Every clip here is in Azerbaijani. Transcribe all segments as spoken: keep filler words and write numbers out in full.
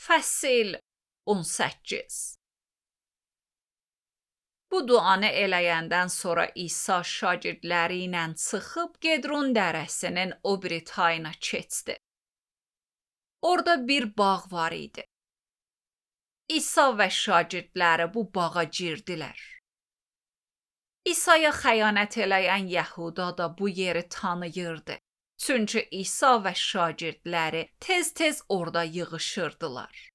Fəsil on səkkiz. Bu duanı eləyəndən sonra İsa şagirdləri ilə çıxıb Gedron dərəsinin o biri tayına keçdi. Orada bir bağ var idi. İsa və şagirdləri bu bağa girdilər. İsa'ya xəyanət eləyən Yəhuda da bu yeri tanıyırdı. Çünki İsa və şagirdləri tez-tez orada yığışırdılar.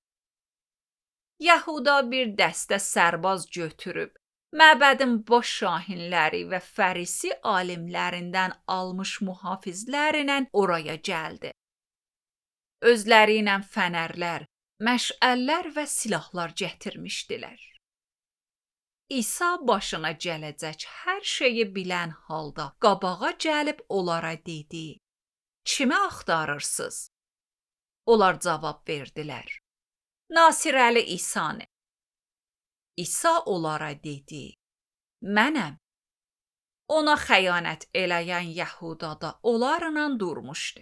Yəhuda bir dəstə sərbaz götürüb, məbədin baş şahinləri və fərisi alimlərindən almış mühafizlərlə oraya gəldi. Özləri ilə fənərlər, məşəllər və silahlar gətirmişdilər. İsa başına gələcək hər şeyi bilən halda qabağa gəlib onlara dedi: "Kimi axtarırsınız?" Onlar cavab verdilər: "Nasirəli İsanı." İsa onlara dedi: "Mənəm." Ona xəyanət eləyən Yəhuda da onlarla durmuşdu.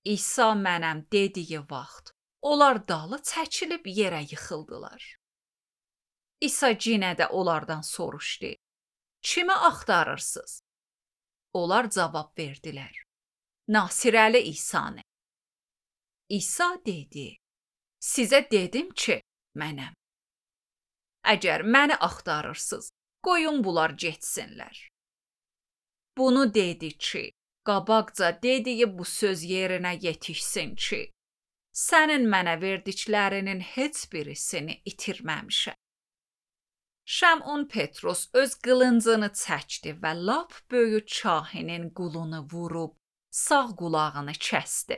İsa mənəm dediyi vaxt, onlar dalı çəkilib yerə yıxıldılar. İsa yenə də onlardan soruşdu: "Kimi axtarırsınız?" Onlar cavab verdilər: "Nasirəli İsanı." İsa dedi: "Sizə dedim ki, mənəm. Əgər məni axtarırsınız, qoyun bunlar getsinlər." Bunu dedi ki, qabaqca dediyi bu söz yerinə yetişsin ki, sənin mənə verdiklərinin heç birisini itirməmişəm. Şəmon Petros öz qılıncını çəkdi və lap böyük çahinin qulunu vurub sağ qulağını kəsdi.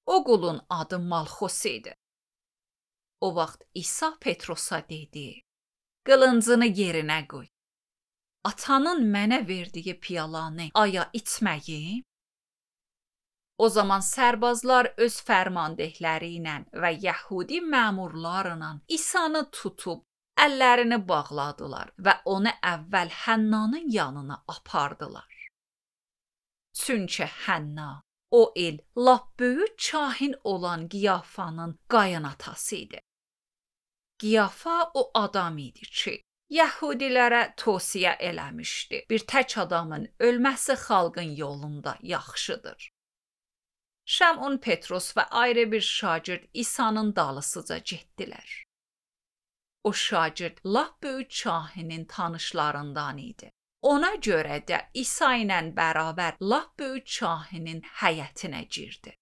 O qulun adı Malxos idi. O vaxt İsa Petrosa dedi: "Qılıncını yerinə qoy. Atanın mənə verdiyi piyalanı aya içməyim?" O zaman sərbazlar öz fərmandehləri ilə və Yəhudi məmurlarla İsanı tutub əllərini bağladılar və onu əvvəl Hənnanın yanına apardılar. Çünki Hənna o il lap böyük kahin olan Qiyafanın qayınatası idi. Qiyafa o adam idi ki, Yəhudilərə tövsiyə eləmişdi: bir tək adamın ölməsi xalqın yolunda yaxşıdır. Şəmon Petros və ayrı bir şagird İsa'nın dalısıca getdilər. O şagird lap böyük kahinin tanışlarından idi. Ona görə də İsa ilə bərabər lap böyük kahinin həyətinə girdi.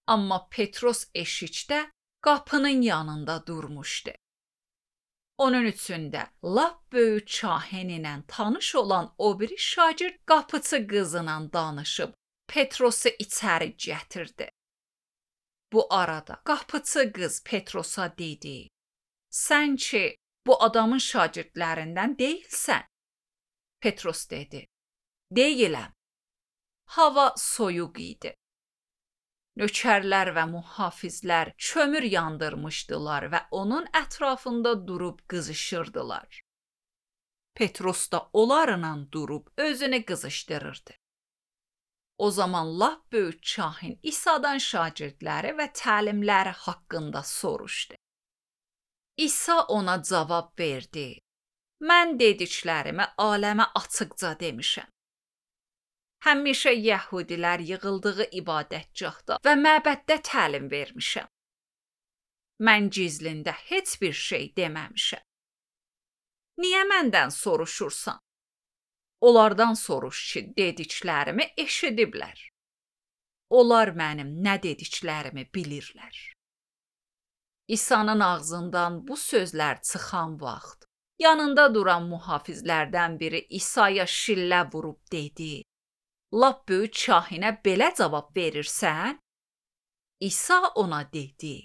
Amma Petros eşikdə qapının yanında durmuşdu. Onun üçün də lap böyük kahin ilə tanış olan o biri şagird qapıçı qızla danışıb Petrosu içəri gətirdi. Bu arada qapıçı qız Petrosa dedi: "Sən ki, bu adamın şagirdlərindən deyilsən." Petros dedi: "Deyiləm." Hava soyuq idi. Nökərlər və mühafizlər kömür yandırmışdılar və onun ətrafında durub qızışırdılar. Petros da onlarla durub özünü qızışdırırdı. O zaman lap böyük kahin İsa'dan şagirdləri və təlimləri haqqında soruşdu. İsa ona cavab verdi: "Mən dediklərimi aləmə açıqca demişəm. Həmişə Yəhudilər yığıldığı ibadətgahda və məbəddə təlim vermişəm. Mən gizlində heç bir şey deməmişəm. Niyə məndən soruşursan? Onlardan soruş ki, dediklərimi eşidiblər. Onlar mənim nə dediklərimi bilirlər." İsa'nın ağzından bu sözlər çıxan vaxt, yanında duran mühafizlərdən biri İsa'ya şillə vurub dedi: "Lap böyük kahinə belə cavab verirsən?" İsa ona dedi: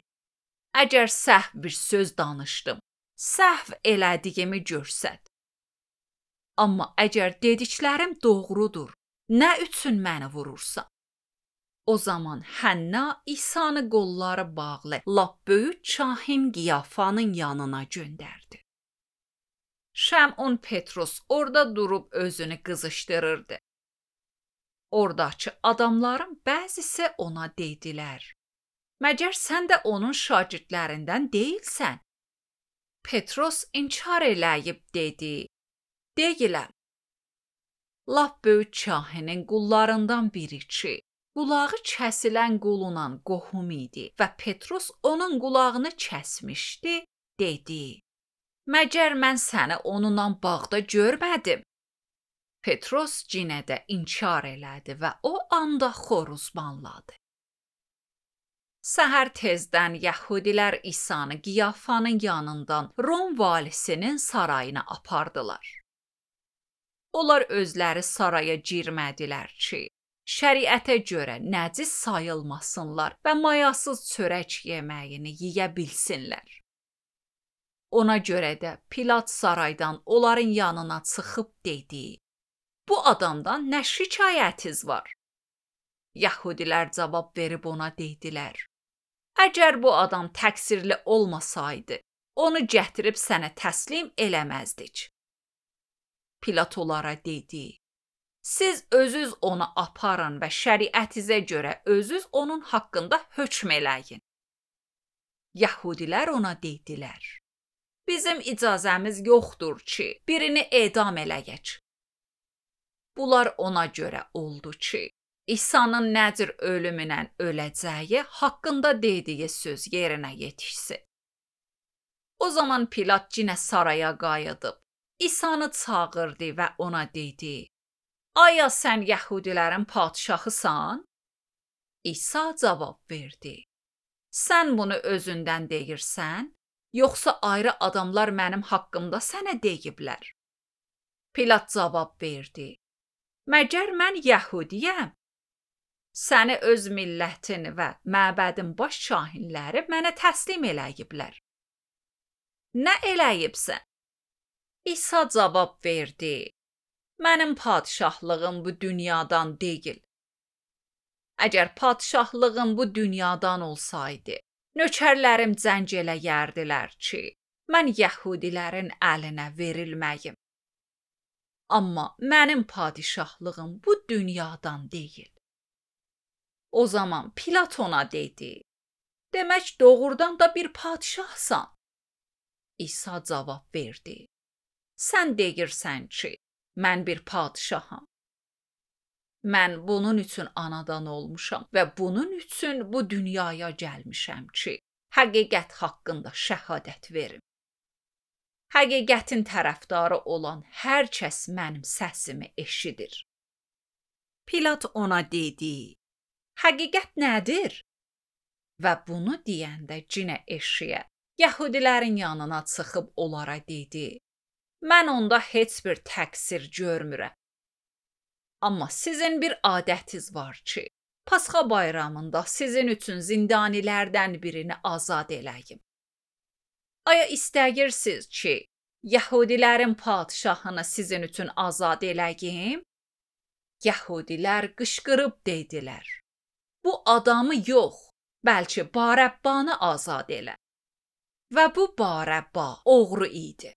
"Əgər səhv bir söz danışdım, səhv elədiyimi görsət. Amma əgər dediklərim doğrudur, nə üçün məni vurursan?" O zaman Hənna İsa'nı qolları bağlı lap böyük kahin Qiyafanın yanına göndərdi. Şəmon Petros orada durub özünü qızışdırırdı. Oradakı adamların bəzisi ona dedilər: Məgər sən də onun şagirdlərindən deyilsən? Petros inkar eləyib dedi: Deyiləm. Lap böyük kahinin qullarından biri ki, qulağı kəsilən qulunla qohum idi və Petros onun qulağını kəsmişdi, dedi: Məgər mən səni onunla bağda görmədim? Petros yenə də inkar elədi və o anda xoruzmanladı. Səhər tezdən Yəhudilər İsanı Qiyafanın yanından Rom valisinin sarayına apardılar. Onlar özləri saraya girmədilər ki, şəriətə görə nəcis sayılmasınlar və mayasız çörək yeməyini yeyə bilsinlər. Ona görə də Pilat saraydan onların yanına çıxıb dedi: Bu adamdan nə şikayətiz var? Yəhudilər cavab verib ona dedilər: Əgər bu adam təqsirli olmasaydı, onu gətirib sənə təslim eləməzdik. Pilat onlara dedi: Siz özünüz onu aparın və şəriətinizə görə özünüz onun haqqında hökm eləyin. Yəhudilər ona dedilər: Bizim icazəmiz yoxdur ki, birini edam eləyək. Bunlar ona görə oldu ki, İsa'nın nə cür ölümünə öləcəyi haqqında dediyi söz yerinə yetişsin. O zaman Pilat yenə saraya qayıdıb, İsa'nı çağırdı və ona dedi: Aya sən Yəhudilərin padşahısan? İsa cavab verdi: Sən bunu özündən deyirsən, yoxsa ayrı adamlar mənim haqqımda sənə deyiblər? Pilat cavab verdi: Məgər mən Yəhudiyəm? Səni öz millətin və məbədin baş kahinləri mənə təslim eləyiblər. Nə eləyibsən? İsa cavab verdi: Mənim padşahlığım bu dünyadan deyil. Əgər padşahlığım bu dünyadan olsaydı, nökərlərim cəng eləyərdilər ki, mən Yəhudilərin əlinə verilməyim. Amma mənim padişahlığım bu dünyadan deyil. O zaman Pilat ona dedi: Demək doğrudan da bir padişahsan. İsa cavab verdi: Sən deyirsən ki, mən bir padişaham. Mən bunun üçün anadan olmuşam və bunun üçün bu dünyaya gəlmişəm ki, həqiqət haqqında şəhadət verim. Həqiqətin tərəfdarı olan hər kəs mənim səsimi eşidir. Pilat ona dedi: Həqiqət nədir? Və bunu deyəndə cinə eşiyə, Yəhudilərin yanına çıxıb onlara dedi: Mən onda heç bir təqsir görmürəm. Amma sizin bir adətiniz var ki, Pasxa bayramında sizin üçün zindanilərdən birini azad eləyim. Aya istəyirsiniz ki, Yəhudilərin padşahını sizin üçün azad eləyim? Yəhudilər qışqırıb dedilər: Bu adamı yox, bəlkə Barəbbanı azad elə. Və bu Barəbba oğru idi.